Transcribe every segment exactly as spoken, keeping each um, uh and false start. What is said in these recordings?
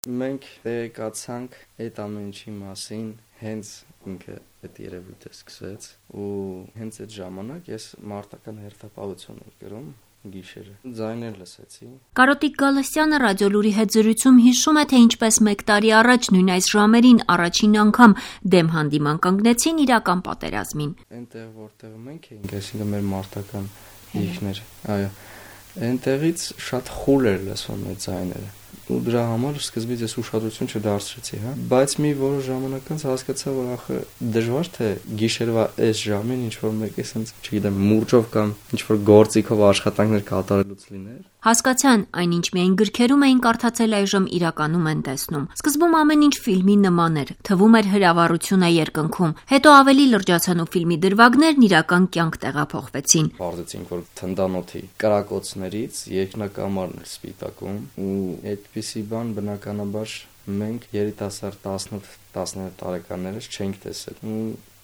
Մենք տեղեկացանք այդ ամեն ինչի մասին հենց ինքը այդ երևույթը սկսեց ու հենց այդ ժամանակ ես մարտական հերթապահություն եմ գրում գիշերը ձայներ լսեցի։ Կարոտիկ Գալստյանը ռադիոլուրի հետ զրույցում հիշում է, թե ինչպես մեկ տարի առաջ նույն այս ժամերին առաջին անգամ դեմ հանդիման կանգնեցին իրական պատերազմին։ Այնտեղ որտեղ մենք էինք, այսինքն մեր մարտական իշխներ, այո, այնտեղից շատ խուլ էր լսվում այդ ձայները։ Ու դրա համար սկզբից ես ուշադրություն չդարձրեցի, հա, բայց մի որոշ ժամանակ անց հասկացա, որ ախը դժվար թե գիշերվա այս ժամին ինչ որ մեկը ասենց, չգիտեմ, մուրճով կամ ինչ որ գործիքով աշխատանքներ կատարելուց լիներ։ Հասկացան, այնինչ միայն գրքերում էին կարդացել, այժմ իրականում են տեսնում։ Սկզբում ամեն ինչ ֆիլմի նման էր, թվում էր հրավառություն է երկնքում, հետո ավելի լրջացան ու ֆիլմի դրվագներն իրական կյանք տեղափոխվեցին։ Պարզեցինք, որ թնդանոթի կրակոցներից երկնակամարն էր սպիտակում ու այդպիսի բան բնականաբար մենք երիտասարդ տասնութ տասնյոթ տարեկաններս չենք տեսել ու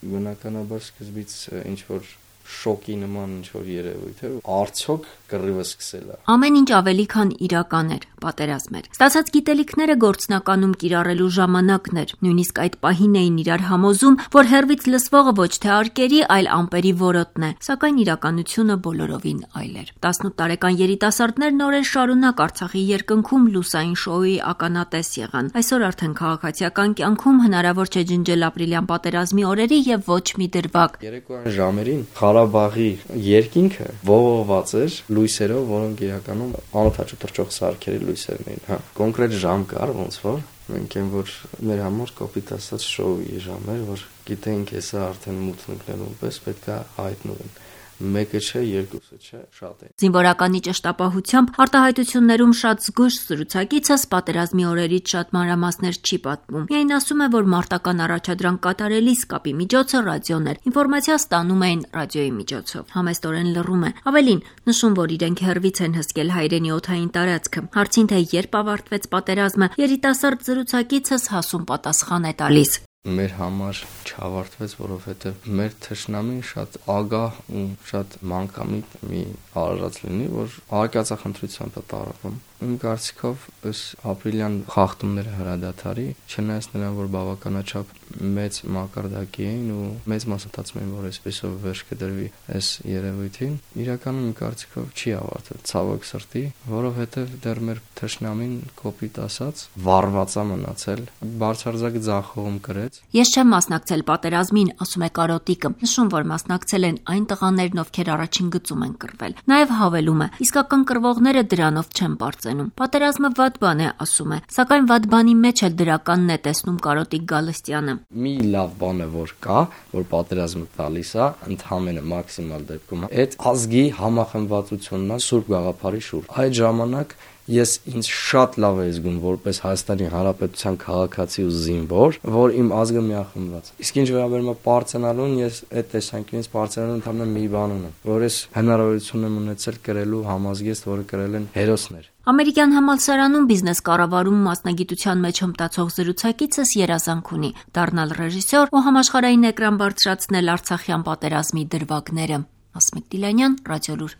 բնականաբար սկզբից ինչ որ շոկի նման ինչ որ երևույթ էր, արդյոք կռիվը սկսել է։ Ամեն ինչ ավելի քան իրական էր, պատերազմ էր։ Ստացած գիտելիքները գործնականում կիրառելու ժամանակն էր, նույնիսկ այդ պահին էին իրար համոզում, որ հեռվից լսվողը ոչ թե արկերի, այլ ամպերի որոտն է, սակայն իրականությունը բոլորովին այլ էր։ տասնութ տարեկան երիտասարդներն օրեր շարունակ Արցախի երկնքում լուսային շոուի ականատես եղան։ Այսօր արդեն քաղաքացիական կյանքում հնարավոր չէ ջնջել ապրիլյան պատերազմի օրերի եւ ոչ մի դրվագ։ Երեկոյան ժամերին Ղարաբաղի երկինքը ողողված էր լույսերով, որոնք իրականում անօթաչու թռչող սարքերի լույսերն էին, հա։ Կոնկրետ ժամ կար, ոնց որ մենք այն որ մեր համար կոպիտ ասած շոուի ժամ էր, որ գիտենք հեսա արդեն մութ ընկնելու պես պետք է հայտնվեն։ Մեկը չէ, երկուսը չէ, շատ է։ Զինվորականի ճշտապահությամբ արտահայտություններում շատ զգույշ զրուցակիցս պատերազմի օրերից շատ մանրամասներ չի պատմում։ Միայն ասում է, որ մարտական առաջադրանք կատարելիս կապի միջոցը ռադիոն էր։ Ինֆորմացիա ստանում էին ռադիոյի միջոցով։ Համեստորեն լռում է։ Ավելին, նշում, որ իրենք հեռվից են հսկել հայրենի օդային տարածքը։ Հարցին, թե երբ ավարտվեց պատերազմը, երիտասարդ զրուցակիցս հասուն պատասխան է տալիս։ Մեր համար չավարտվեց, որովհետև մեր թշնամին շատ ագահ ու շատ մանկամիտ մի արարած լինի, որ արկածախնդրությամբ է տարվում։ Իմ կարծիքով ըս ապրիլյան խախտումները հրադադարի, չնայած նրան, որ բավականաչափ մեծ մակարդակի էին ու մեծ մասը մտածում էին, որ այսպեսով վերջ կդրվի այս երևույթին, իրականում իմ կարծիքով չի ավարտվել, ցավոք սրտի, որովհետև դեռ մեր թշնամին կոպիտ ասած վառված է մնացել, բարձրարձակ ձախողում կրեց։ Ես չեմ մասնակցել պատերազմին, ասում է Կարոտիկը, նշում, որ մասնակցել են այն տղաներն, ովքեր առաջին գծում են կռվել։ Նաև հավելում է, իսկական կռվողները դրանով չեն պարծենում։ Պատերազմը վատ բան է, ասում է, սակայն վատ բանի մեջ էլ դրականն է տեսնում Կարոտիկ Գալստյանը։ Մի լավ բան է, որ կա, որ պատերազմը տալիս է, ընդհանրապես մաքսիմալ դեպքում այդ ազգի համախմբվածությունն է Սուրբ Գաղափարի շուրջ։ Այդ ժամանակ ես ինձ շատ լավ եմ զգում որպես Հայաստանի Հանրապետության քաղաքացի ու զինվոր, որ իմ ազգը միախմբված։ Իսկ ինչ վերաբերում է պարծենալուն, ես այդ տեսանկյունից պարծենալուն ընդհանրապես մի բան ունեմ, որ ես հնարավորություն եմ ունեցել կրելու համազգեստ, որը կրել են հերոսներ։ Ամերիկյան համալսարանում բիզնես կառավարում մասնագիտության մեջ հմտացող զրուցակիցս երազանք ունի դառնալ ռեժիսոր ու համաշխարհային էկրան բարձրացնել Արցախյան պատերազմի դրվագները։ Ասմիկ Դիլանյան, Ռադիոլուր։